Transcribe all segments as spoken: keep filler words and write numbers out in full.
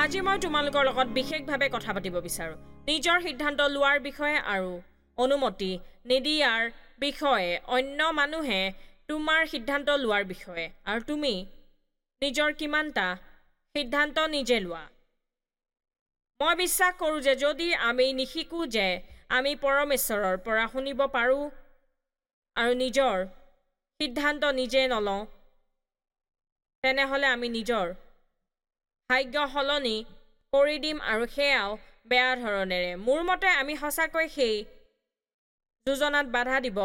আজি মই তোমালোকৰ লগত বিশেষভাৱে কথা পাতিব বিচাৰোঁ নিজৰ সিদ্ধান্ত লোৱাৰ বিষয়ে আৰু অনুমতি নিদিয়াৰ বিষয়ে, অন্য মানুহে তোমাৰ সিদ্ধান্ত লোৱাৰ বিষয়ে, আৰু তুমি নিজৰ কিমানটা সিদ্ধান্ত নিজে লোৱা। মই বিশ্বাস কৰোঁ যে যদি আমি নিশিকোঁ যে আমি পৰমেশ্বৰৰ পৰা শুনিব পাৰোঁ আৰু নিজৰ সিদ্ধান্ত নিজে নলওঁ, তেনেহ'লে আমি নিজৰ ভাগ্য সলনি কৰি দিম, আৰু সেয়াও বেয়া ধৰণেৰে। মোৰ মতে আমি সঁচাকৈ সেই যোজনাত বাধা দিব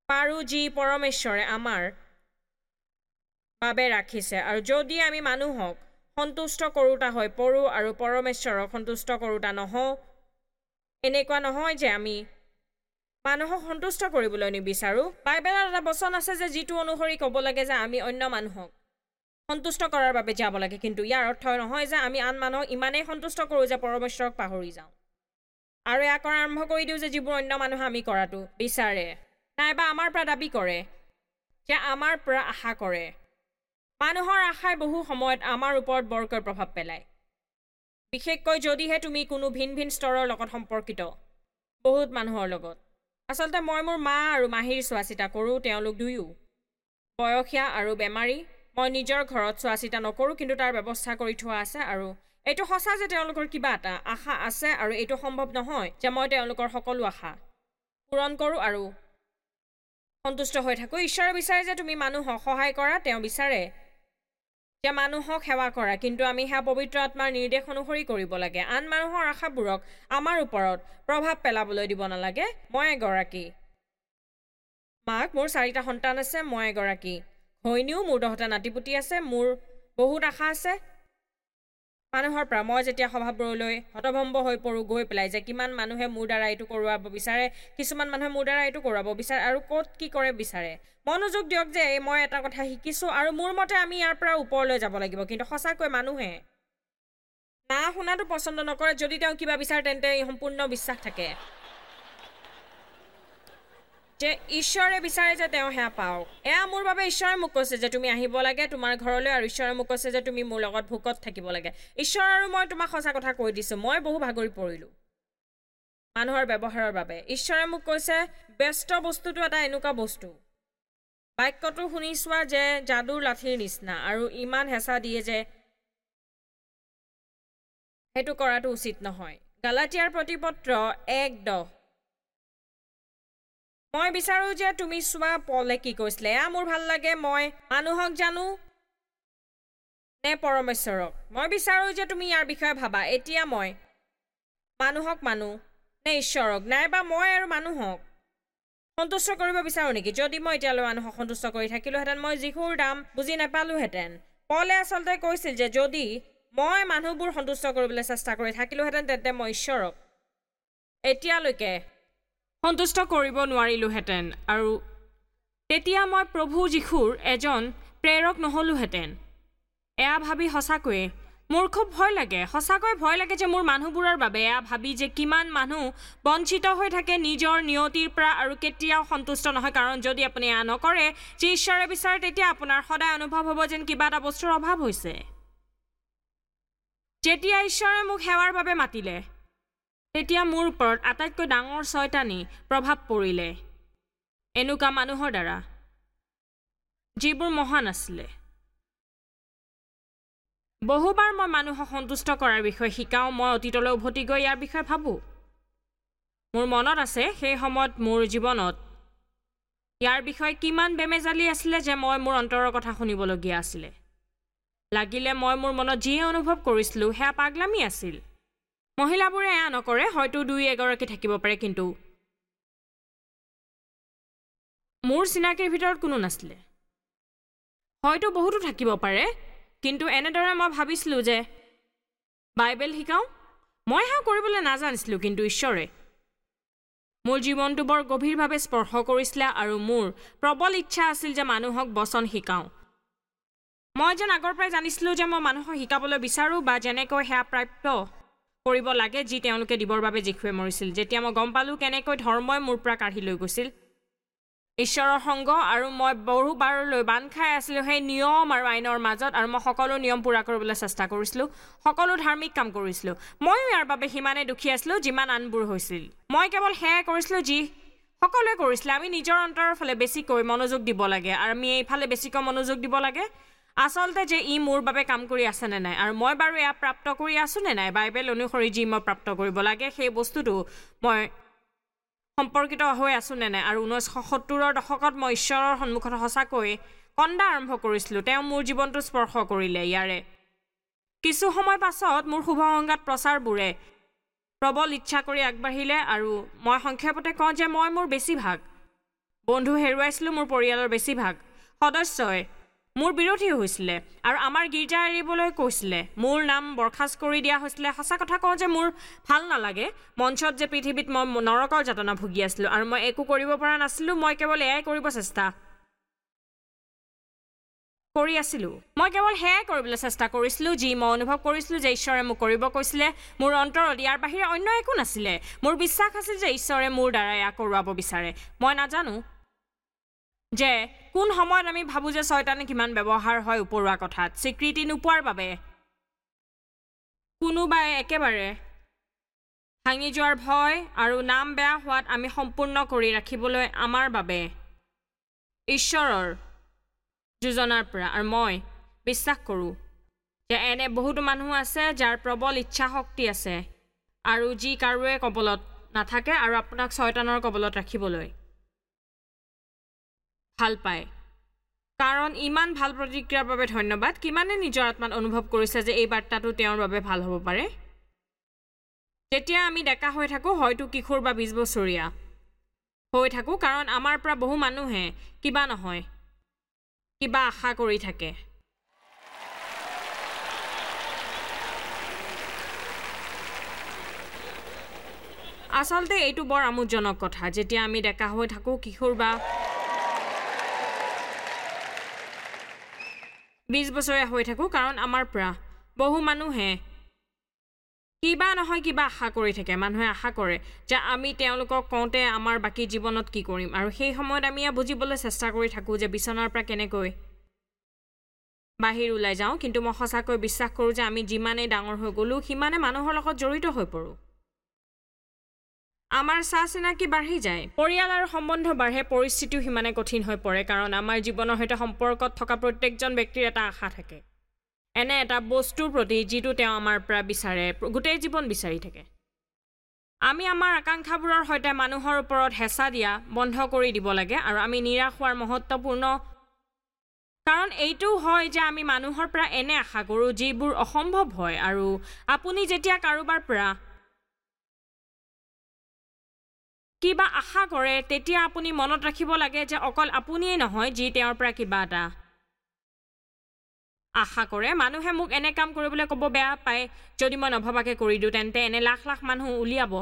পাৰোঁ যি পৰমেশ্বৰে আমাৰ বাবে ৰাখিছে। আৰু যদি আমি মানুহক সন্তুষ্ট কৰোঁতা হৈ পৰোঁ আৰু পৰমেশ্বৰক সন্তুষ্ট কৰোঁতা নহওঁ, এনেকুৱা নহয় যে আমি মানুহক সন্তুষ্ট কৰিবলৈ নিবিচাৰোঁ। বাইবেলত এটা বচন আছে যে যিটো অনুসৰি ক'ব লাগে যে আমি অন্য মানুহক সন্তুষ্ট কৰাৰ বাবে যাব লাগে, কিন্তু ইয়াৰ অৰ্থ নহয় যে আমি আন মানুহক ইমানেই সন্তুষ্ট কৰোঁ যে পৰমেশ্বৰক পাহৰি যাওঁ আৰু এয়া কৰা আৰম্ভ কৰি দিওঁ যে যিবোৰ অন্য মানুহে আমি কৰাটো বিচাৰে নাইবা আমাৰ পৰা দাবী কৰে, যে আমাৰ পৰা আশা কৰে। মানুহৰ আশাই বহু সময়ত আমাৰ ওপৰত বৰকৈ প্ৰভাৱ পেলায়, বিশেষকৈ যদিহে তুমি কোনো ভিন ভিন স্তৰৰ লগত সম্পৰ্কিত বহুত মানুহৰ লগত। আচলতে মই মোৰ মা আৰু মাহীৰ চোৱা চিতা কৰোঁ, তেওঁলোক দুয়ো বয়সীয়া আৰু বেমাৰী। মই নিজৰ ঘৰত চোৱা চিতা নকৰোঁ, কিন্তু তাৰ ব্যৱস্থা কৰি থোৱা আছে। আৰু এইটো সঁচা যে তেওঁলোকৰ কিবা এটা আশা আছে, আৰু এইটো সম্ভৱ নহয় যে মই তেওঁলোকৰ সকলো আশা পূৰণ কৰোঁ আৰু সন্তুষ্ট হৈ থাকোঁ। ঈশ্বৰে বিচাৰে যে তুমি মানুহক সহায় কৰা, তেওঁ বিচাৰে যে মানুহক সেৱা কৰা, কিন্তু আমি সেয়া পবিত্ৰ আত্মাৰ নিৰ্দেশ অনুসৰি কৰিব লাগে। আন মানুহৰ আশাবোৰক আমাৰ ওপৰত প্ৰভাৱ পেলাবলৈ দিব নালাগে। মই এগৰাকী মাক, মোৰ চাৰিটা সন্তান আছে, মই এগৰাকী ঘৈণীও, মোৰ দহটা নাতিপুতি আছে, মোৰ বহুত আশা আছে মানুহৰ পৰা। মই যেতিয়া সভাবোৰলৈ হতভম্ব হৈ পৰোঁ গৈ পেলাই যে কিমান মানুহে মোৰ দ্বাৰা এইটো কৰোৱাব বিচাৰে, কিছুমান মানুহে মোৰ দ্বাৰা এইটো কৰোৱাব বিচাৰে আৰু ক'ত কি কৰে বিচাৰে। মনোযোগ দিয়ক যে মই এটা কথা শিকিছোঁ আৰু মোৰ মতে আমি ইয়াৰ পৰা ওপৰলৈ যাব লাগিব। কিন্তু সঁচাকৈ মানুহে না শুনাটো পচন্দ নকৰে। যদি তেওঁ কিবা বিচাৰে তেন্তে সম্পূৰ্ণ বিশ্বাস থাকে যে ঈশ্বৰে বিচাৰে যে তেওঁ সেয়া পাওক। এয়া মোৰ বাবে ঈশ্বৰে মোক কৈছে যে তুমি আহিব লাগে তোমাৰ ঘৰলৈ, আৰু ঈশ্বৰে মোক কৈছে যে তুমি মোৰ লগত ভোকত থাকিব লাগে। ঈশ্বৰ আৰু মই তোমাক সঁচা কথা কৈ দিছোঁ, মই বহু ভাগৰি পৰিলোঁ মানুহৰ ব্যৱহাৰৰ বাবে। ঈশ্বৰে মোক কৈছে ব্যস্ত বস্তুটো এটা এনেকুৱা বস্তু, বাক্যটো শুনি চোৱা যে যাদুৰ লাঠিৰ নিচিনা, আৰু ইমান হেঁচা দিয়ে যে সেইটো কৰাটো উচিত নহয়। গালাটিয়াৰ প্ৰতিপত্ৰ এক দহ। মই বিচাৰোঁ যে তুমি চোৱা পলে কি কৈছিলে। এয়া মোৰ ভাল লাগে, মই মানুহক জানো নে পৰমেশ্বৰক? মই বিচাৰোঁ যে তুমি ইয়াৰ বিষয়ে ভাবা। এতিয়া মই মানুহক মানো নে ঈশ্বৰক? নাইবা মই আৰু মানুহক সন্তুষ্ট কৰিব বিচাৰোঁ নেকি? যদি মই এতিয়ালৈ মানুহক সন্তুষ্ট কৰি থাকিলোহেঁতেন, মই যীশুৰ দাম বুজি নাপালোহেঁতেন। পলে আচলতে কৈছিল যে যদি মই মানুহবোৰ সন্তুষ্ট কৰিবলৈ চেষ্টা কৰি থাকিলোহেঁতেন, তেন্তে মই ঈশ্বৰক এতিয়ালৈকে সন্তুষ্ট কৰিব নোৱাৰিলোহেঁতেন, আৰু তেতিয়া মই প্ৰভু যীশুৰ এজন প্ৰেৰক নহ'লোহেঁতেন। এয়া ভাবি সঁচাকৈয়ে মোৰ খুব ভয় লাগে, সঁচাকৈ ভয় লাগে যে মোৰ মানুহবোৰৰ বাবে এয়া ভাবি যে কিমান মানুহ বঞ্চিত হৈ থাকে নিজৰ নিয়তিৰ পৰা আৰু কেতিয়াও সন্তুষ্ট নহয়। কাৰণ যদি আপুনি এয়া নকৰে যি ঈশ্বৰে বিচাৰে, তেতিয়া আপোনাৰ সদায় অনুভৱ হ'ব যেন কিবা এটা বস্তুৰ অভাৱ হৈছে। যেতিয়া ঈশ্বৰে মোক সেৱাৰ বাবে মাতিলে, তেতিয়া মোৰ ওপৰত আটাইতকৈ ডাঙৰ চয়তানী প্ৰভাৱ পৰিলে এনেকুৱা মানুহৰ দ্বাৰা যিবোৰ মহান আছিলে। বহুবাৰ মই মানুহক সন্তুষ্ট কৰাৰ বিষয়ে শিকাওঁ, মই অতীতলৈ উভতি গৈ ইয়াৰ বিষয়ে ভাবোঁ। মোৰ মনত আছে সেই সময়ত মোৰ জীৱনত ইয়াৰ বিষয়ে কিমান বেমেজালি আছিলে যে মই মোৰ অন্তৰৰ কথা শুনিবলগীয়া আছিলে। লাগিলে মই মোৰ মনত যিয়ে অনুভৱ কৰিছিলোঁ সেয়া পাগলামি আছিল। মহিলাবোৰে এয়া নকৰে, হয়তো দুই এগৰাকী থাকিব পাৰে, কিন্তু মোৰ চিনাকিৰ ভিতৰত কোনো নাছিলে। হয়তো বহুতো থাকিব পাৰে, কিন্তু এনেদৰে মই ভাবিছিলোঁ যে বাইবেল শিকাওঁ। মই সেয়া কৰিবলৈ নাজানিছিলোঁ, কিন্তু ঈশ্বৰে মোৰ জীৱনটো বৰ গভীৰভাৱে স্পৰ্শ কৰিছিলে আৰু মোৰ প্ৰবল ইচ্ছা আছিল যে মানুহক বচন শিকাওঁ। মই যেন আগৰ পৰাই জানিছিলোঁ যে মই মানুহক শিকাবলৈ বিচাৰোঁ বা যেনেকৈ সেয়া প্ৰাপ্য কৰিব লাগে যি তেওঁলোকে দিবৰ বাবে যীশুৱে মৰিছিল। যেতিয়া মই গম পালোঁ কেনেকৈ ধৰ্মই মোৰ পৰা কাঢ়ি লৈ গৈছিল, ঈশ্বৰৰ সংগ আৰু মই বহুবাৰলৈ বান্ধ খাই আছিলোঁ সেই নিয়ম আৰু আইনৰ মাজত আৰু মই সকলো নিয়ম পূৰা কৰিবলৈ চেষ্টা কৰিছিলোঁ, সকলো ধাৰ্মিক কাম কৰিছিলোঁ। ময়ো ইয়াৰ বাবে সিমানেই দুখী আছিলোঁ যিমান আনবোৰ হৈছিল। মই কেৱল সেয়াই কৰিছিলোঁ যি সকলোৱে কৰিছিলে। আমি নিজৰ অন্তৰৰ ফালে বেছিকৈ মনোযোগ দিব লাগে আৰু আমি এইফালে বেছিকৈ মনোযোগ দিব লাগে আচলতে যে ই মোৰ বাবে কাম কৰি আছে নে নাই আৰু মই বাৰু এয়া প্ৰাপ্ত কৰি আছোঁ নে নাই। বাইবেল অনুসৰি যি মই প্ৰাপ্ত কৰিব লাগে সেই বস্তুটো মই সম্পৰ্কিত হৈ আছোঁ নে নাই। আৰু ঊনৈছশ সত্তৰৰ দশকত মই ঈশ্বৰৰ সন্মুখত সঁচাকৈ কন্দা আৰম্ভ কৰিছিলোঁ। তেওঁ মোৰ জীৱনটো স্পৰ্শ কৰিলে। ইয়াৰে কিছু সময় পাছত মোৰ শুভ সংগাত প্ৰচাৰবোৰে প্ৰবল ইচ্ছা কৰি আগবাঢ়িলে আৰু মই সংক্ষেপতে কওঁ যে মই মোৰ বেছিভাগ বন্ধু হেৰুৱাইছিলোঁ, মোৰ পৰিয়ালৰ বেছিভাগ সদস্যই মোৰ বিৰোধী হৈছিলে আৰু আমাৰ গীৰ্জা এৰিবলৈ কৈছিলে, মোৰ নাম বৰ্খাস্ত কৰি দিয়া হৈছিলে। সঁচা কথা কওঁ যে মোৰ ভাল নালাগে মঞ্চত যে পৃথিৱীত মই নৰকৰ যাতনা ভুগি আছিলোঁ আৰু মই একো কৰিব পৰা নাছিলোঁ। মই কেৱল এয়াই কৰিব চেষ্টা কৰি আছিলোঁ, মই কেৱল সেয়াই কৰিবলৈ চেষ্টা কৰিছিলোঁ যি মই অনুভৱ কৰিছিলোঁ যে ঈশ্বৰে মোক কৰিব কৈছিলে। মোৰ অন্তৰত ইয়াৰ বাহিৰে অন্য একো নাছিলে। মোৰ বিশ্বাস আছিল যে ঈশ্বৰে মোৰ দ্বাৰা এয়া কৰোৱাব বিচাৰে। মই নাজানো যে কোন সময়ত আমি ভাবোঁ যে ছয়তানে কিমান ব্যৱহাৰ হয় ওপৰুৱা কথাত স্বীকৃতি নোপোৱাৰ বাবে কোনোবাই একেবাৰে ভাঙি যোৱাৰ ভয় আৰু নাম বেয়া হোৱাত আমি সম্পূৰ্ণ কৰি ৰাখিবলৈ আমাৰ বাবে ঈশ্বৰৰ যোজনাৰ পৰা। আৰু মই বিশ্বাস কৰোঁ যে এনে বহুতো মানুহ আছে যাৰ প্ৰবল ইচ্ছা শক্তি আছে আৰু যি কাৰোৱে কবলত নাথাকে আৰু আপোনাক ছয়তানৰ কবলত ৰাখিবলৈ ভাল পায়। কাৰণ ইমান ভাল প্ৰতিক্ৰিয়াৰ বাবে ধন্যবাদ। কিমানে নিজৰ আত্মাত অনুভৱ কৰিছে যে এই বাৰ্তাটো তেওঁৰ বাবে ভাল হ'ব পাৰে? যেতিয়া আমি ডেকা হৈ থাকোঁ, হয়তো কিশোৰ বা বিছ বছৰীয়া হৈ থাকোঁ, কাৰণ আমাৰ পৰা বহু মানুহে কিবা নহয় কিবা আশা কৰি থাকে। আচলতে এইটো বৰ আমোদজনক কথা। যেতিয়া আমি ডেকা হৈ থাকোঁ, কিশোৰ বা বিছ বছৰীয়া হৈ থাকোঁ, কাৰণ আমাৰ পৰা বহু মানুহে কিবা নহয় কিবা আশা কৰি থাকে। মানুহে আশা কৰে যে আমি তেওঁলোকক কওঁতে আমাৰ বাকী জীৱনত কি কৰিম, আৰু সেই সময়ত আমি এয়া বুজিবলৈ চেষ্টা কৰি থাকোঁ যে বিচনাৰ পৰা কেনেকৈ বাহিৰ ওলাই যাওঁ। কিন্তু মই সঁচাকৈ বিশ্বাস কৰোঁ যে আমি যিমানেই ডাঙৰ হৈ গ'লোঁ সিমানে মানুহৰ লগত জড়িত হৈ পৰোঁ, আমাৰ চা চিনাকি বাঢ়ি যায়, পৰিয়াল আৰু সম্বন্ধ বাঢ়ে, পৰিস্থিতিও সিমানে কঠিন হৈ পৰে। কাৰণ আমাৰ জীৱনৰ সৈতে সম্পৰ্কত থকা প্ৰত্যেকজন ব্যক্তিৰ এটা আশা থাকে, এনে এটা বস্তুৰ প্ৰতি যিটো তেওঁ আমাৰ পৰা বিচাৰে, গোটেই জীৱন বিচাৰি থাকে। আমি আমাৰ আকাংক্ষাবোৰৰ সৈতে মানুহৰ ওপৰত হেঁচা দিয়া বন্ধ কৰি দিব লাগে আৰু আমি নিৰাশ হোৱাৰ মহত্বপূৰ্ণ কাৰণ এইটোও হয় যে আমি মানুহৰ পৰা এনে আশা কৰোঁ যিবোৰ অসম্ভৱ হয়। আৰু আপুনি যেতিয়া কাৰোবাৰ পৰা কিবা আশা কৰে তেতিয়া আপুনি মনত ৰাখিব লাগে যে অকল আপুনিয়েই নহয় যি তেওঁৰ পৰা কিবা এটা আশা কৰে। মানুহে মোক এনে কাম কৰিবলৈ ক'ব বেয়া পায়, যদি মই নভবাকৈ কৰি দিওঁ তেন্তে এনে লাখ লাখ মানুহ উলিয়াব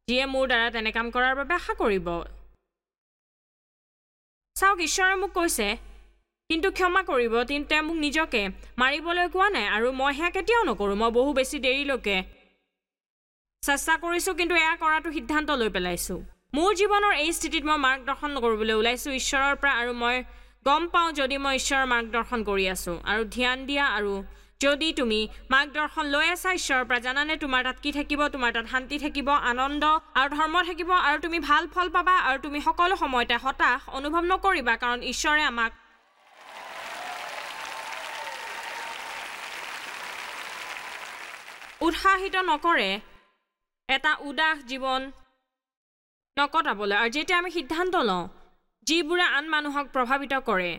যিয়ে মোৰ দ্বাৰা তেনে কাম কৰাৰ বাবে আশা কৰিব। চাওক, ঈশ্বৰে মোক কৈছে কিন্তু ক্ষমা কৰিব, কিন্তু তেওঁ মোক নিজকে মাৰিবলৈ কোৱা নাই আৰু মই সেয়া কেতিয়াও নকৰোঁ। মই বহু বেছি দেৰিলৈকে চেষ্টা কৰিছোঁ, কিন্তু এয়া কৰাটো সিদ্ধান্ত লৈ পেলাইছোঁ। মোৰ জীৱনৰ এই স্থিতিত মই মাৰ্গদৰ্শন কৰিবলৈ ওলাইছোঁ ঈশ্বৰৰ পৰা, আৰু মই গম পাওঁ যদি মই ঈশ্বৰৰ মাৰ্গদৰ্শন কৰি আছোঁ আৰু ধ্যান দিয়া, আৰু যদি তুমি মাৰ্গদৰ্শন লৈ আছা ঈশ্বৰৰ পৰা, জানানে তোমাৰ তাত কি থাকিব? তোমাৰ তাত শান্তি থাকিব, আনন্দ আৰু ধৰ্ম থাকিব, আৰু তুমি ভাল ফল পাবা, আৰু তুমি সকলো সময়তে হতাশ অনুভৱ নকৰিবা, কাৰণ ঈশ্বৰে আমাক উৎসাহিত নকৰে এটা উদাস জীৱন নকটাবলৈ। আৰু যেতিয়া আমি সিদ্ধান্ত লওঁ যিবোৰে আন মানুহক প্ৰভাৱিত কৰে,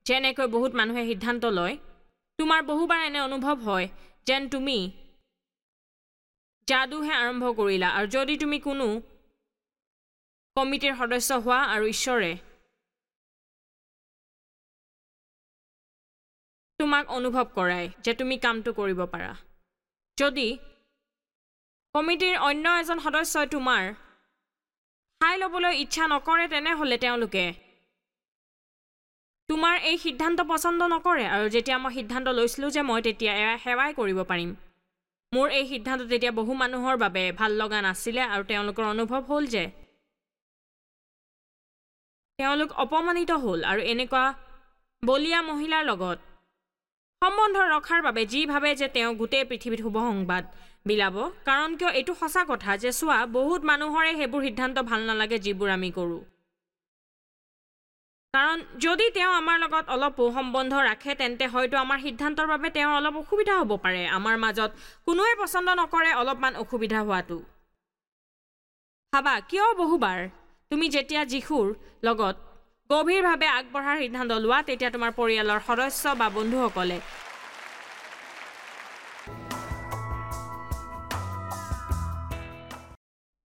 যেনেকৈ বহুত মানুহে সিদ্ধান্ত লয়, তোমাৰ বহুবাৰ এনে অনুভৱ হয় যেন তুমি যাদুহে আৰম্ভ কৰিলা। আৰু যদি তুমি কোনো কমিটিৰ সদস্য হোৱা আৰু ঈশ্বৰে তোমাক অনুভৱ কৰায় যে তুমি কামটো কৰিব পাৰা, যদি কমিটিৰ অন্য এজন সদস্যই তোমাৰ ঠাই ল'বলৈ ইচ্ছা নকৰে, তেনেহ'লে তেওঁলোকে তোমাৰ এই সিদ্ধান্ত পচন্দ নকৰে। আৰু যেতিয়া মই সিদ্ধান্ত লৈছিলোঁ যে মই তেতিয়া এয়া সেৱাই কৰিব পাৰিম, মোৰ এই সিদ্ধান্ত তেতিয়া বহু মানুহৰ বাবে ভাল লগা নাছিলে, আৰু তেওঁলোকৰ অনুভৱ হ'ল যে তেওঁলোক অপমানিত হ'ল আৰু এনেকুৱা বলীয়া মহিলাৰ লগত সম্বন্ধ ৰখাৰ বাবে যি ভাবে যে তেওঁ গোটেই পৃথিৱীত শুভ সংবাদ বিলাব। কাৰণ কিয় এইটো সঁচা কথা যে চোৱা, বহুত মানুহৰে সেইবোৰ সিদ্ধান্ত ভাল নালাগে যিবোৰ আমি কৰোঁ। কাৰণ যদি তেওঁ আমাৰ লগত অলপো সম্বন্ধ ৰাখে তেন্তে হয়তো আমাৰ সিদ্ধান্তৰ বাবে তেওঁৰ অলপ অসুবিধা হ'ব পাৰে। আমাৰ মাজত কোনোৱে পচন্দ নকৰে অলপমান অসুবিধা হোৱাটো। ভাবা, কিয় বহুবাৰ তুমি যেতিয়া যীশুৰ লগত গভীৰভাৱে আগবঢ়াৰ সিদ্ধান্ত লোৱা তেতিয়া তোমাৰ পৰিয়ালৰ সদস্য বা বন্ধুসকলে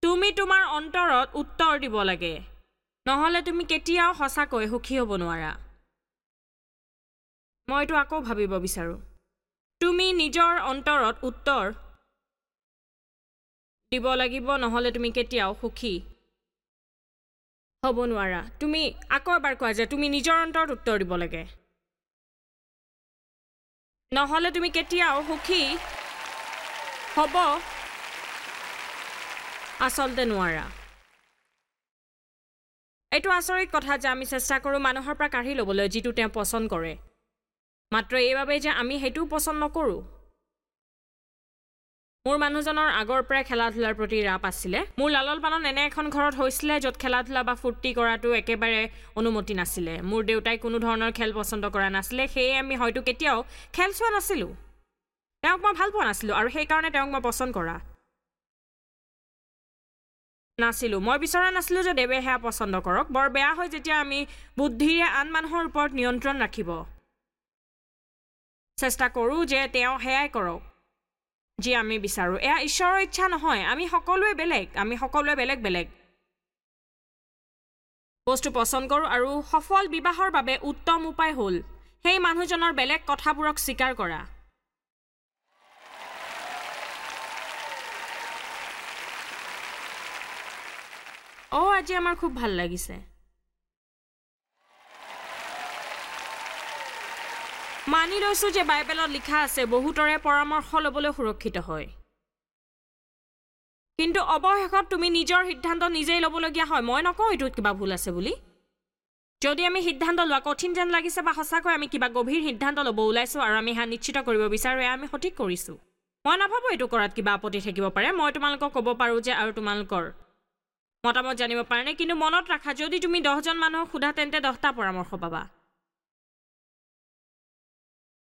তুমি তোমাৰ অন্তৰত উত্তৰ দিব লাগে, নহ'লে তুমি কেতিয়াও সঁচাকৈ সুখী হ'ব নোৱাৰা। মই এইটো আকৌ ভাবিব বিচাৰোঁ। তুমি নিজৰ অন্তৰত উত্তৰ দিব লাগিব, নহ'লে তুমি কেতিয়াও সুখী হ'ব নোৱাৰা। তুমি আকৌ এবাৰ কোৱা যে তুমি নিজৰ অন্তৰত উত্তৰ দিব লাগে, নহ'লে তুমি কেতিয়াও সুখী হ'ব আচলতে নোৱাৰা। এইটো আচৰিত কথা যে আমি চেষ্টা কৰোঁ মানুহৰ পৰা কাঢ়ি ল'বলৈ যিটো তেওঁ পচন্দ কৰে, মাত্ৰ এইবাবেই যে আমি সেইটোও পচন্দ নকৰোঁ। মোৰ মানুহজনৰ আগৰ পৰাই খেলা ধূলাৰ প্ৰতি ৰাপ আছিলে। মোৰ লালন পালন এনে এখন ঘৰত হৈছিলে য'ত খেলা ধূলা বা ফূৰ্তি কৰাটো একেবাৰে অনুমতি নাছিলে। মোৰ দেউতাই কোনো ধৰণৰ খেল পচন্দ কৰা নাছিলে, সেয়ে আমি হয়তো কেতিয়াও খেল চোৱা নাছিলোঁ। তেওঁক মই ভাল পোৱা নাছিলোঁ আৰু সেইকাৰণে তেওঁক মই পচন্দ কৰা নাছিলোঁ। মই বিচৰা নাছিলোঁ যে দেৱে সেয়া পচন্দ কৰক। বৰ বেয়া হয় যেতিয়া আমি বুদ্ধিৰে আন মানুহৰ ওপৰত নিয়ন্ত্ৰণ ৰাখিব চেষ্টা কৰোঁ যে তেওঁ সেয়াই কৰক যি আমি বিচাৰোঁ। এয়া ঈশ্বৰৰ ইচ্ছা নহয়। আমি সকলোৱে বেলেগ, আমি সকলোৱে বেলেগ বেলেগ বস্তু পচন্দ কৰোঁ আৰু সফল বিবাহৰ বাবে উত্তম উপায় হ'ল সেই মানুহজনৰ বেলেগ কথাবোৰক স্বীকাৰ কৰা। অ' আজি আমাৰ খুব ভাল লাগিছে। মানি লৈছোঁ যে বাইবেলত লিখা আছে বহুতৰে পৰামৰ্শ ল'বলৈ সুৰক্ষিত হয়, কিন্তু অৱশেষত তুমি নিজৰ সিদ্ধান্ত নিজেই ল'বলগীয়া হয়। মই নকওঁ এইটোত কিবা ভুল আছে বুলি। যদি আমি সিদ্ধান্ত লোৱা কঠিন যেন লাগিছে বা সঁচাকৈ আমি কিবা গভীৰ সিদ্ধান্ত ল'ব ওলাইছোঁ আৰু আমি সেয়া নিশ্চিত কৰিব বিচাৰোঁ এয়া আমি সঠিক কৰিছোঁ, মই নাভাবোঁ এইটো কৰাত কিবা আপত্তি থাকিব পাৰে। মই তোমালোকক ক'ব পাৰোঁ যে আৰু তোমালোকৰ মতামত জানিব পাৰেনে, কিন্তু মনত ৰাখা যদি তুমি দহজন মানুহক সোধা তেন্তে দহটা পৰামৰ্শ পাবা।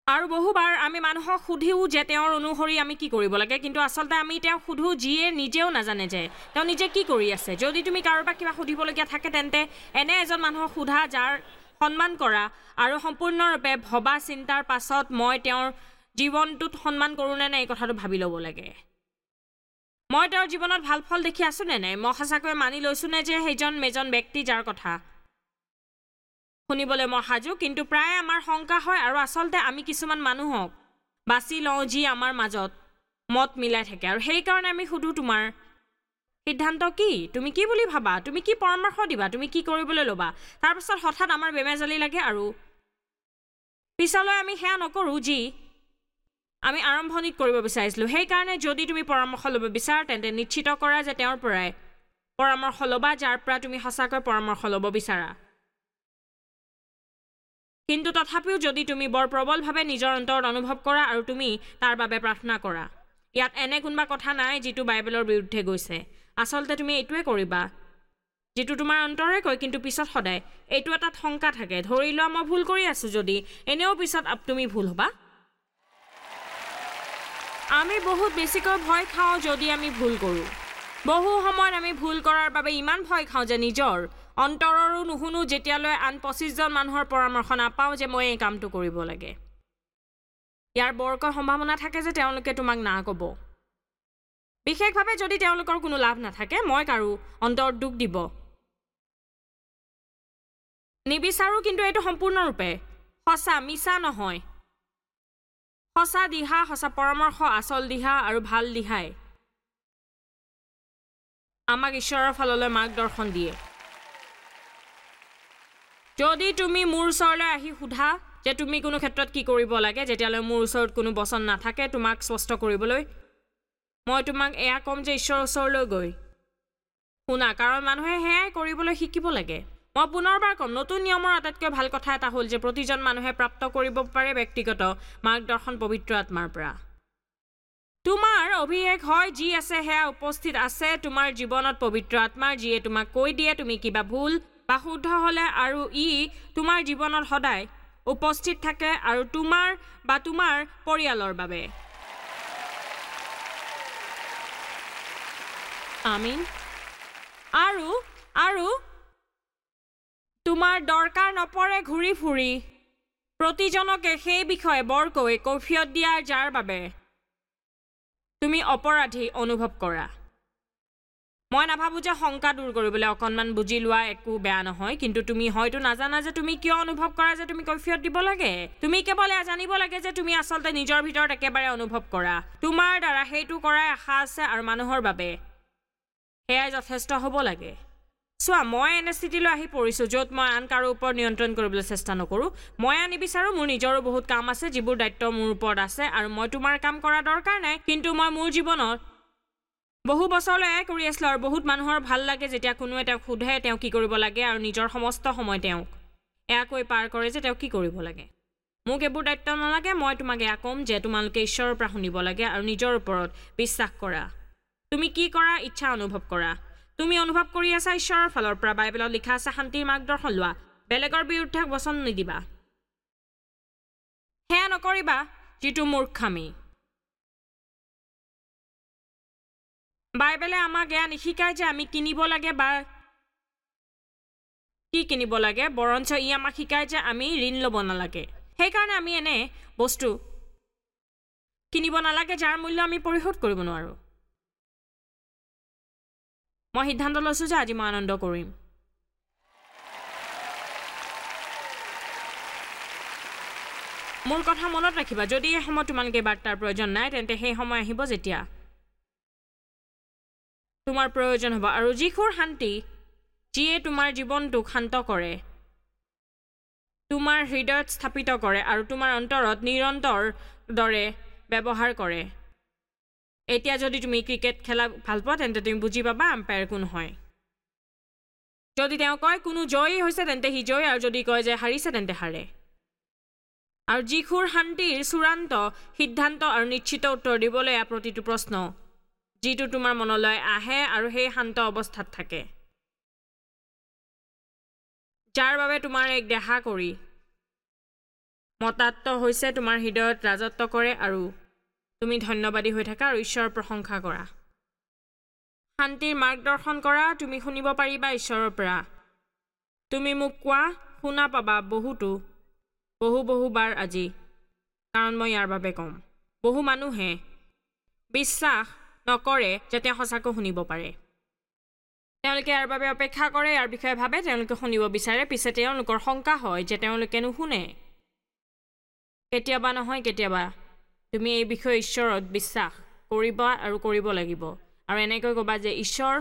আৰু বহুবাৰ আমি মানুহক সুধিও যে তেওঁৰ অনুসৰি আমি কি কৰিব লাগে, কিন্তু আচলতে আমি তেওঁক সোধোঁ যিয়ে নিজেও নাজানে যে তেওঁ নিজে কি কৰি আছে। যদি তুমি কাৰোবাক কিবা সুধিবলগীয়া থাকে তেন্তে এনে এজন মানুহক সোধা যাৰ সন্মান কৰা আৰু সম্পূৰ্ণৰূপে ভবা চিন্তাৰ পাছত মই তেওঁৰ জীৱনটোত সন্মান কৰোঁ নে নাই এই কথাটো ভাবি ল'ব লাগে। মই তেওঁৰ জীৱনত ভাল ফল দেখি আছোঁ নে নাই, মই সঁচাকৈ মানি লৈছোঁ নে যে সেইজন এজন ব্যক্তি যাৰ কথা শুনিবলৈ মই সাজু। কিন্তু প্ৰায় আমাৰ শংকা হয় আৰু আচলতে আমি কিছুমান মানুহক বাছি লওঁ যি আমাৰ মাজত মত মিলাই থাকে আৰু সেইকাৰণে আমি সোধোঁ তোমাৰ সিদ্ধান্ত কি, তুমি কি বুলি ভাবা, তুমি কি পৰামৰ্শ দিবা, তুমি কি কৰিবলৈ ল'বা। তাৰপাছত হঠাৎ আমাৰ বেমেজালি লাগে আৰু পিছলৈ আমি সেয়া নকৰোঁ যি আমি আৰম্ভণিত কৰিব বিচাৰিছিলোঁ। সেইকাৰণে যদি তুমি পৰামৰ্শ ল'ব বিচাৰা তেন্তে নিশ্চিত কৰা যে তেওঁৰ পৰাই পৰামৰ্শ ল'বা যাৰ পৰা তুমি সঁচাকৈ পৰামৰ্শ ল'ব বিচাৰা। কিন্তু তথাপিও যদি তুমি বৰ প্ৰবলভাৱে নিজৰ অন্তৰত অনুভৱ কৰা আৰু তুমি তাৰ বাবে প্ৰাৰ্থনা কৰা, ইয়াত এনে কোনোবা কথা নাই যিটো বাইবেলৰ বিৰুদ্ধে গৈছে। আচলতে তুমি এইটোৱে কৰিবা যিটো তোমাৰ অন্তৰে কয়, কিন্তু পিছত সদায় এইটো এটা শংকা থাকে, ধৰি লোৱা মই ভুল কৰি আছোঁ যদি, এনেও পিছত তুমি ভুল হ'বা। আমি বহুত বেছিকৈ ভয় খাওঁ যদি আমি ভুল কৰোঁ। বহু সময়ত আমি ভুল কৰাৰ বাবে ইমান ভয় খাওঁ যে নিজৰ অন্তৰৰো নুশুনো যেতিয়ালৈ আন পঁচিছজন মানুহৰ পৰামৰ্শ নাপাওঁ যে মই এই কামটো কৰিব লাগে। ইয়াৰ বৰকৈ সম্ভাৱনা থাকে যে তেওঁলোকে তোমাক না ক'ব, বিশেষভাৱে যদি তেওঁলোকৰ কোনো লাভ নাথাকে। মই কাৰো অন্তৰত দুখ দিব নিবিচাৰোঁ, কিন্তু এইটো সম্পূৰ্ণৰূপে সঁচা, মিছা নহয়। সঁচা দিহা, সঁচা পৰামৰ্শ, আচল দিহা আৰু ভাল দিহাই আমাক ঈশ্বৰৰ ফাললৈ মাৰ্গদৰ্শন দিয়ে। যদি তুমি মোৰ ওচৰলৈ আহি সোধা যে তুমি কোনো ক্ষেত্ৰত কি কৰিব লাগে, যেতিয়ালৈ মোৰ ওচৰত কোনো বচন নাথাকে তোমাক স্পষ্ট কৰিবলৈ, মই তোমাক এয়া ক'ম যে ঈশ্বৰৰ ওচৰলৈ গৈ শুনা, কাৰণ মানুহে সেয়াই কৰিবলৈ শিকিব লাগে। মই পুনৰবাৰ ক'ম, নতুন নিয়মৰ আটাইতকৈ ভাল কথা এটা হ'ল যে প্ৰতিজন মানুহে প্ৰাপ্ত কৰিব পাৰে ব্যক্তিগত মাৰ্গদৰ্শন পবিত্ৰ আত্মাৰ পৰা। তোমাৰ অভিষেক হয় যি আছে সেয়া উপস্থিত আছে তোমাৰ জীৱনত পবিত্ৰ আত্মাৰ, যিয়ে তোমাক কৈ দিয়ে তুমি কিবা ভুল বা শুদ্ধ হ'লে, আৰু ই তোমাৰ জীৱনত সদায় উপস্থিত থাকে আৰু তোমাৰ বা তোমাৰ পৰিয়ালৰ বাবে। আমিন। আৰু আৰু তোমাৰ দৰকাৰ নপৰে ঘূৰি ফুৰি প্ৰতিজনকে সেই বিষয়ে বৰকৈ কৈফিয়ত দিয়াৰ, যাৰ বাবে তুমি অপৰাধী অনুভৱ কৰা। মই নাভাবোঁ যে শংকা দূৰ কৰিবলৈ অকণমান বুজি লোৱা একো বেয়া নহয়, কিন্তু তুমি হয়তো নাজানা যে তুমি কিয় অনুভৱ কৰা যে তুমি কৈফিয়ত দিব লাগে। তুমি কেৱল এয়া জানিব লাগে যে তুমি আচলতে নিজৰ ভিতৰত একেবাৰে অনুভৱ কৰা। তোমাৰ দ্বাৰা সেইটো কৰাই আশা আছে আৰু মানুহৰ বাবে সেয়াই যথেষ্ট হ'ব লাগে। চোৱা, মই এনে স্থিতিলৈ আহি পৰিছোঁ য'ত মই আন কাৰো ওপৰত নিয়ন্ত্ৰণ কৰিবলৈ চেষ্টা নকৰোঁ। মই এয়া নিবিচাৰোঁ। মোৰ নিজৰো বহুত কাম আছে যিবোৰ দায়িত্ব মোৰ ওপৰত আছে আৰু মই তোমাৰ কাম কৰা দৰকাৰ নাই, কিন্তু মই মোৰ জীৱনত বহু বছৰলৈ এয়াই কৰি আছিলোঁ আৰু বহুত মানুহৰ ভাল লাগে যেতিয়া কোনোৱে তেওঁক সোধে তেওঁ কি কৰিব লাগে আৰু নিজৰ সমস্ত সময় তেওঁক এয়া কৈ পাৰ কৰে যে তেওঁ কি কৰিব লাগে। মোক এইবোৰ দায়িত্ব নালাগে। মই তোমাক এয়া ক'ম যে তোমালোকে ঈশ্বৰৰ পৰা শুনিব লাগে আৰু নিজৰ ওপৰত বিশ্বাস কৰা। তুমি কি কৰা ইচ্ছা অনুভৱ কৰা। তুমি অনুভৱ কৰি আছা ঈশ্বৰৰ ফালৰ পৰা। বাইবেলত লিখা আছে শান্তিৰ মাৰ্গদৰ্শন লোৱা, বেলেগৰ বিৰুদ্ধে বচন নিদিবা, সেয়া নকৰিবা যিটো মূৰ্খামি। বাইবেলে আমাক এয়া নিশিকায় যে আমি কিনিব লাগে বা কি কিনিব লাগে, বৰঞ্চ ই আমাক শিকায় যে আমি ঋণ ল'ব নালাগে। সেইকাৰণে আমি এনে বস্তু কিনিব নালাগে যাৰ মূল্য আমি পৰিশোধ কৰিব নোৱাৰোঁ। মই সিদ্ধান্ত লৈছোঁ যে আজি মই আনন্দ কৰিম। মোৰ কথা মনত ৰাখিবা, যদি এই সময়ত তোমালোকে বাৰ্তাৰ প্ৰয়োজন নাই, তেন্তে সেই সময় আহিব যেতিয়া তোমাৰ প্ৰয়োজন হ'ব। আৰু যীশুৰ শান্তি যিয়ে তোমাৰ জীৱনটোক শান্ত কৰে, তোমাৰ হৃদয়ত স্থাপিত কৰে আৰু তোমাৰ অন্তৰত নিৰন্তৰ দৰে ব্যৱহাৰ কৰে। এতিয়া যদি তুমি ক্ৰিকেট খেলা ভাল পোৱা, তেন্তে তুমি বুজি পাবা আম্পায়াৰ কোন হয়। যদি তেওঁ কয় কোনো জয়ী হৈছে, তেন্তে সি জয়ী, আৰু যদি কয় যে হাৰিছে, তেন্তে হাৰে। আৰু যীশুৰ শান্তিৰ চূড়ান্ত সিদ্ধান্ত আৰু নিশ্চিত উত্তৰ দিবলৈ এয়া প্ৰতিটো প্ৰশ্ন যিটো তোমাৰ মনলৈ আহে আৰু সেই শান্ত অৱস্থাত থাকে, যাৰ বাবে তোমাৰ এক দেহা কৰি মতাত্ম হৈছে, তোমাৰ হৃদয়ত ৰাজত্ব কৰে আৰু তুমি ধন্যবাদী হৈ থাকা আৰু ঈশ্বৰৰ প্ৰশংসা কৰা। শান্তিৰ মাৰ্গদৰ্শন কৰা, তুমি শুনিব পাৰিবা ঈশ্বৰৰ পৰা। তুমি মোক কোৱা শুনা পাবা বহুতো বহু বহুবাৰ আজি, কাৰণ মই ইয়াৰ বাবে ক'ম। বহু মানুহে বিশ্বাস নকৰে যে তেওঁ সঁচাকৈ শুনিব পাৰে। তেওঁলোকে ইয়াৰ বাবে অপেক্ষা কৰে, ইয়াৰ বিষয়ে ভাবে, তেওঁলোকে শুনিব বিচাৰে, পিছে তেওঁলোকৰ শংকা হয় যে তেওঁলোকে নুশুনে। কেতিয়াবা নহয় কেতিয়াবা তুমি এই বিষয়ে ঈশ্বৰত বিশ্বাস কৰিবা আৰু কৰিব লাগিব, আৰু এনেকৈ ক'বা যে ঈশ্বৰ,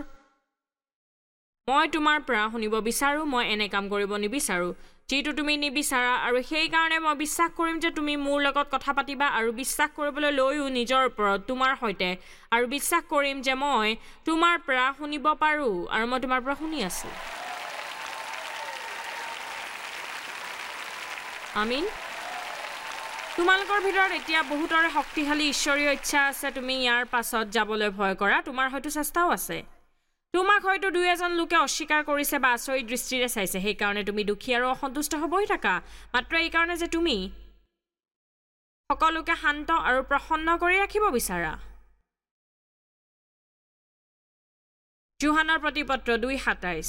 মই তোমাৰ পৰা শুনিব বিচাৰোঁ, মই এনে কাম কৰিব নিবিচাৰোঁ যিটো তুমি নিবিচাৰা, আৰু সেইকাৰণে মই বিশ্বাস কৰিম যে তুমি মোৰ লগত কথা পাতিবা আৰু বিশ্বাস কৰিবলৈ লৈও নিজৰ ওপৰত তোমাৰ সৈতে, আৰু বিশ্বাস কৰিম যে মই তোমাৰ পৰা শুনিব পাৰোঁ আৰু মই তোমাৰ পৰা শুনি আছোঁ। আমিন। তোমালোকৰ ভিতৰত এতিয়া বহুতৰে শক্তিশালী ঈশ্বৰীয় ইচ্ছা আছে। তুমি ইয়াৰ পাছত যাবলৈ ভয় কৰা, তোমাৰ হয়তো চেষ্টাও আছে। তোমাক হয়তো দুই এজন লোকে অস্বীকাৰ কৰিছে বা আচৰিত দৃষ্টিৰে চাইছে, সেইকাৰণে তুমি দুখী আৰু অসন্তুষ্ট হ'বই থাকা, মাত্ৰ এইকাৰণে যে তুমি সকলোকে শান্ত আৰু প্ৰসন্ন কৰি ৰাখিব বিচাৰা। যোহানৰ প্ৰতিপত্ৰ দুই সাতাইছ।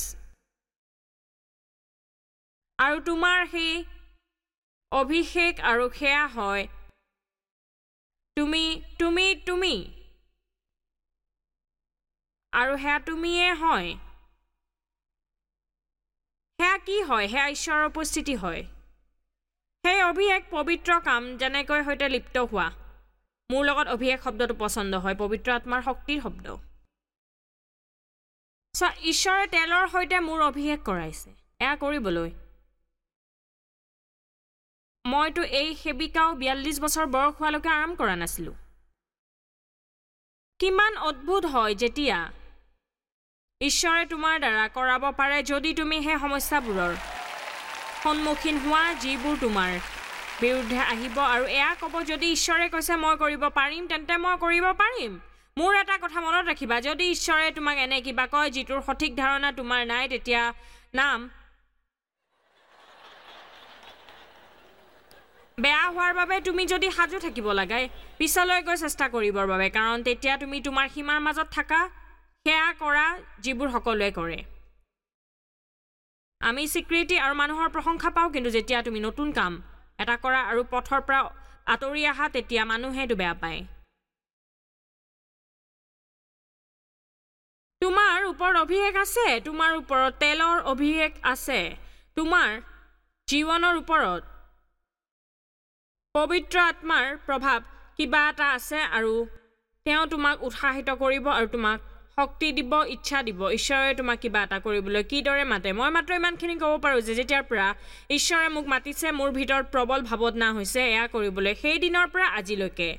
আৰু তোমাৰ সেই অভিষেক আৰু সেয়া হয় তুমি তুমি তুমি আৰু সেয়া তুমিয়ে হয়। সেয়া কি হয়? সেয়া ঈশ্বৰৰ উপস্থিতি হয়। সেই অভিষেক পবিত্ৰ কাম যেনেকৈ সৈতে লিপ্ত হোৱা। মোৰ লগত অভিষেক শব্দটো পচন্দ হয়, পবিত্ৰ আত্মাৰ শক্তিৰ শব্দ। চোৱা, ঈশ্বৰে তেলৰ সৈতে মোৰ অভিষেক কৰাইছে এয়া কৰিবলৈ। মইতো এই সেৱিকাও বিয়াল্লিছ বছৰ বয়স হোৱালৈকে আৰাম কৰা নাছিলোঁ। কিমান অদ্ভুত হয় যেতিয়া ঈশ্বৰে তোমাৰ দ্বাৰা কৰাব পাৰে যদি তুমি সেই সমস্যাবোৰৰ সন্মুখীন হোৱা যিবোৰ তোমাৰ বিৰুদ্ধে আহিব আৰু এয়া ক'ব, যদি ঈশ্বৰে কৈছে মই কৰিব পাৰিম, তেন্তে মই কৰিব পাৰিম। মোৰ এটা কথা মনত ৰাখিবা, যদি ঈশ্বৰে তোমাক এনে কিবা কয় যিটোৰ সঠিক ধাৰণা তোমাৰ নাই, তেতিয়া নাম বেয়া হোৱাৰ বাবে তুমি যদি সাজু থাকিব লাগে পিছলৈ গৈ চেষ্টা কৰিবৰ বাবে, কাৰণ তেতিয়া তুমি তোমাৰ সীমাৰ মাজত থাকা, সেয়া কৰা যিবোৰ সকলোৱে কৰে। আমি স্বীকৃতি আৰু মানুহৰ প্ৰশংসা পাওঁ, কিন্তু যেতিয়া তুমি নতুন কাম এটা কৰা আৰু পথৰ পৰা আঁতৰি আহা, তেতিয়া মানুহে এইটো বেয়া পায়। তোমাৰ ওপৰত অভিষেক আছে, তোমাৰ ওপৰত তেলৰ অভিষেক আছে, তোমাৰ জীৱনৰ ওপৰত পবিত্ৰ আত্মাৰ প্ৰভাৱ কিবা এটা আছে আৰু তেওঁ তোমাক উৎসাহিত কৰিব আৰু তোমাক শক্তি দিব, ইচ্ছা দিব। ঈশ্বৰে তোমাক কিবা এটা কৰিবলৈ কিদৰে মাতে, মই মাত্ৰ ইমানখিনি ক'ব পাৰোঁ যে যেতিয়াৰ পৰা ঈশ্বৰে মোক মাতিছে, মোৰ ভিতৰত প্ৰবল ভাৱনা হৈছে এয়া কৰিবলৈ। সেই দিনৰ পৰা আজিলৈকে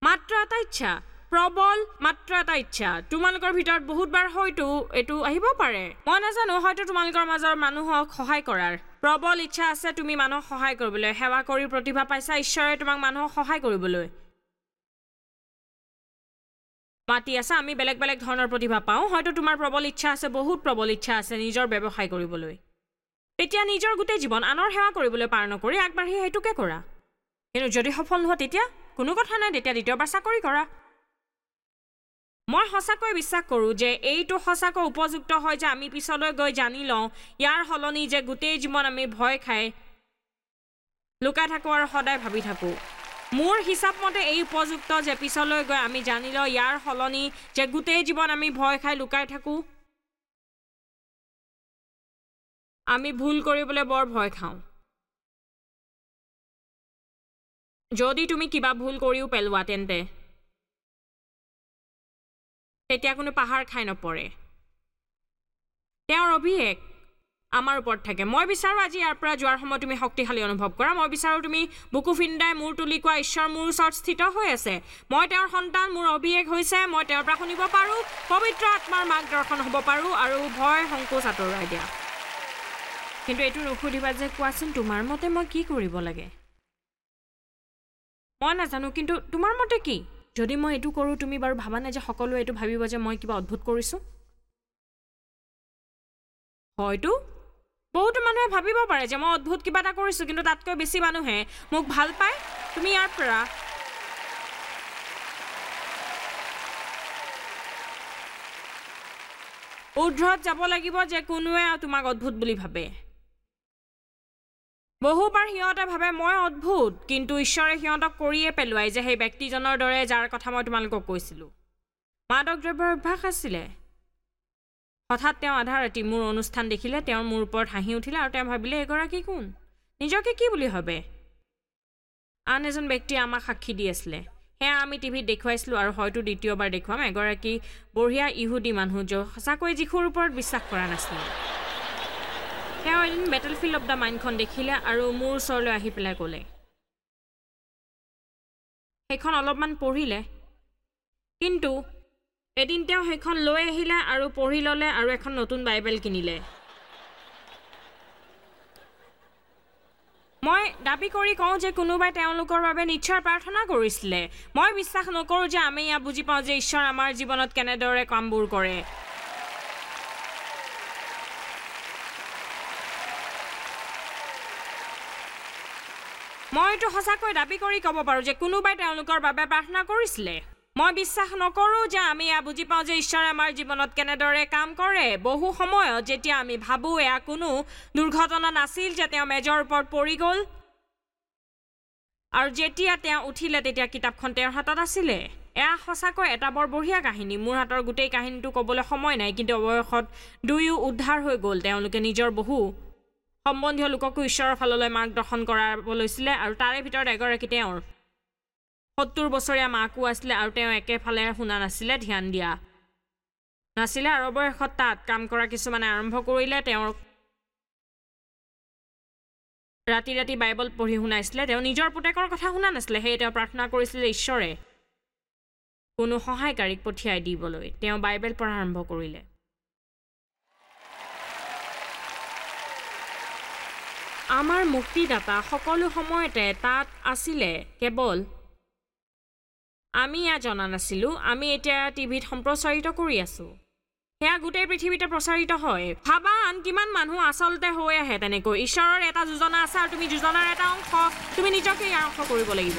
মাত্ৰ এটা ইচ্ছা, প্ৰবল মাত্ৰ এটা ইচ্ছা। তোমালোকৰ ভিতৰত বহুতবাৰ হয়তো এইটো আহিব পাৰে, মই নাজানো, হয়তো তোমালোকৰ মাজৰ মানুহক সহায় কৰাৰ প্ৰবল ইচ্ছা আছে। তুমি মানুহক সহায় কৰিবলৈ, সেৱা কৰি প্ৰতিভা পাইছা, ঈশ্বৰে তোমাক মানুহক সহায় কৰিবলৈ মাতি আছে। আমি বেলেগ বেলেগ ধৰণৰ প্ৰতিভা পাওঁ। হয়তো তোমাৰ প্ৰবল ইচ্ছা আছে, বহুত প্ৰবল ইচ্ছা আছে নিজৰ ব্যৱসায় কৰিবলৈ, তেতিয়া নিজৰ গোটেই জীৱন আনৰ সেৱা কৰিবলৈ পাৰ নকৰি আগবাঢ়ি সেইটোকে কৰা। কিন্তু যদি সফল নোহোৱা তেতিয়া কোনো কথা নাই, তেতিয়া দ্বিতীয়বাৰ চাকৰি কৰা। মই সঁচাকৈ বিশ্বাস কৰোঁ যে এইটো সঁচাকৈ উপযুক্ত হয় যে আমি পিছলৈ গৈ জানি লওঁ, ইয়াৰ সলনি যে গোটেই জীৱন আমি ভয় খাই লুকাই থাকোঁ আৰু সদায় ভাবি থাকোঁ। মোৰ হিচাপ মতে এই উপযুক্ত যে পিছলৈ গৈ আমি জানি লওঁ, ইয়াৰ সলনি যে গোটেই জীৱন আমি ভয় খাই লুকাই থাকোঁ। আমি ভুল কৰিবলৈ বৰ ভয় খাওঁ। যদি তুমি কিবা ভুল কৰিও পেলোৱা, তেন্তে তেতিয়া কোনো পাহাৰ খাই নপৰে। তেওঁৰ অভিষেক আমাৰ ওপৰত থাকে। মই বিচাৰোঁ আজি ইয়াৰ পৰা যোৱাৰ সময়ত তুমি শক্তিশালী অনুভৱ কৰা। মই বিচাৰোঁ তুমি বুকু ফিন্দাই মূৰ তুলি কোৱা, ঈশ্বৰ মোৰ ওচৰত স্থিত হৈ আছে, মই তেওঁৰ সন্তান, মোৰ অভিষেক হৈছে, মই তেওঁৰ পৰা শুনিব পাৰোঁ, পবিত্ৰ আত্মাৰ মাৰ্গদৰ্শন হ'ব পাৰোঁ, আৰু ভয় সংকোচ আঁতৰাই দিয়া। কিন্তু এইটো নুসুধিবা যে কোৱাচোন তোমাৰ মতে মই কি কৰিব লাগে, মই নাজানো, কিন্তু তোমাৰ মতে কি? যদি মই এইটো কৰোঁ, তুমি বাৰু ভাবানে যে সকলোৱে এইটো ভাবিব যে মই কিবা অদ্ভুত কৰিছোঁ? হয়তো বহুতো মানুহে ভাবিব পাৰে যে মই অদ্ভুত কিবা এটা কৰিছোঁ, কিন্তু তাতকৈ বেছি মানুহে মোক ভাল পায়। তুমি ইয়াৰ পৰা ঊৰ্ধত যাব লাগিব যে কোনোৱে তোমাক অদ্ভুত বুলি ভাবে। বহুবাৰ সিহঁতে ভাবে মই অদ্ভুত, কিন্তু ঈশ্বৰে সিহঁতক কৰিয়ে পেলোৱাই যে সেই ব্যক্তিজনৰ দৰে যাৰ কথা মই তোমালোকক কৈছিলোঁ। মাদক দ্ৰব্যৰ অভ্যাস আছিলে। হঠাৎ তেওঁ আধা ৰাতি মোৰ অনুষ্ঠান দেখিলে, তেওঁৰ মোৰ ওপৰত হাঁহি উঠিলে আৰু তেওঁ ভাবিলে এগৰাকী কোন, নিজকে কি বুলি ভাবে। আন এজন ব্যক্তিয়ে আমাক সাক্ষী দি আছিলে, সেয়া আমি টিভিত দেখুৱাইছিলোঁ আৰু হয়তো দ্বিতীয়বাৰ দেখুৱাম। এগৰাকী বঢ়িয়া ইহুদী মানুহ য'ত সঁচাকৈ যীশুৰ ওপৰত বিশ্বাস কৰা নাছিলে। তেওঁ এদিন বেটেলফিল্ড অফ the মাইণ্ডখন দেখিলে আৰু মোৰ ওচৰলৈ আহি পেলাই ক'লে, সেইখন অলপমান পঢ়িলে, কিন্তু এদিন তেওঁ সেইখন লৈ আহিলে আৰু পঢ়ি ল'লে আৰু এখন নতুন বাইবেল কিনিলে। মই দাবী কৰি কওঁ যে কোনোবাই তেওঁলোকৰ বাবে নিশ্চয় প্ৰাৰ্থনা কৰিছিলে। মই বিশ্বাস নকৰোঁ যে আমি ইয়াত বুজি পাওঁ যে ঈশ্বৰ আমাৰ জীৱনত কেনেদৰে কামবোৰ কৰে। মই এইটো সঁচাকৈ দাবী কৰি ক'ব পাৰোঁ যে কোনোবাই তেওঁলোকৰ বাবে প্ৰাৰ্থনা কৰিছিলে। মই বিশ্বাস নকৰোঁ যে আমি এয়া বুজি পাওঁ যে ঈশ্বৰে আমাৰ জীৱনত কেনেদৰে কাম কৰে। বহু সময়ত যেতিয়া আমি ভাবোঁ এয়া কোনো দুৰ্ঘটনা নাছিল যে তেওঁ মেজৰ ওপৰত পৰি গ'ল, আৰু যেতিয়া তেওঁ উঠিলে তেতিয়া কিতাপখন তেওঁৰ হাতত আছিলে। এয়া সঁচাকৈ এটা বৰ বঢ়িয়া কাহিনী। মোৰ হাতৰ গোটেই কাহিনীটো ক'বলৈ সময় নাই, কিন্তু অৱশেষত দুয়ো উদ্ধাৰ হৈ গ'ল। তেওঁলোকে নিজৰ বহু সম্বন্ধীয় লোককো ঈশ্বৰৰ ফাললৈ মাৰ্গদৰ্শন কৰাব লৈছিলে আৰু তাৰে ভিতৰত এগৰাকী তেওঁৰ সত্তৰ বছৰীয়া মাকো আছিলে আৰু তেওঁ একেফালে শুনা নাছিলে, ধ্যান দিয়া নাছিলে। আৰু অৱশেষত তাত কাম কৰা কিছুমানে আৰম্ভ কৰিলে, তেওঁৰ ৰাতি ৰাতি বাইবল পঢ়ি শুনাইছিলে। তেওঁ নিজৰ পুতেকৰ কথা শুনা নাছিলে, সেয়ে তেওঁ প্ৰাৰ্থনা কৰিছিলে ঈশ্বৰে কোনো সহায়কাৰীক পঠিয়াই দিবলৈ। তেওঁ বাইবেল পঢ়া আৰম্ভ কৰিলে। আমাৰ মুক্তিদাতা সকলো সময়তে তাত আছিলে, কেৱল আমি এয়া জনা নাছিলোঁ। আমি এতিয়া টিভিত সম্প্ৰচাৰিত কৰি আছোঁ, সেয়া গোটেই পৃথিৱীতে প্ৰচাৰিত হয়। ভাবা আন কিমান মানুহ আচলতে হৈ আহে তেনেকৈ। ঈশ্বৰৰ এটা যোজনা আছে আৰু তুমি যোজনাৰ এটা অংশ। তুমি নিজকে ইয়াৰ অংশ কৰিব লাগিব।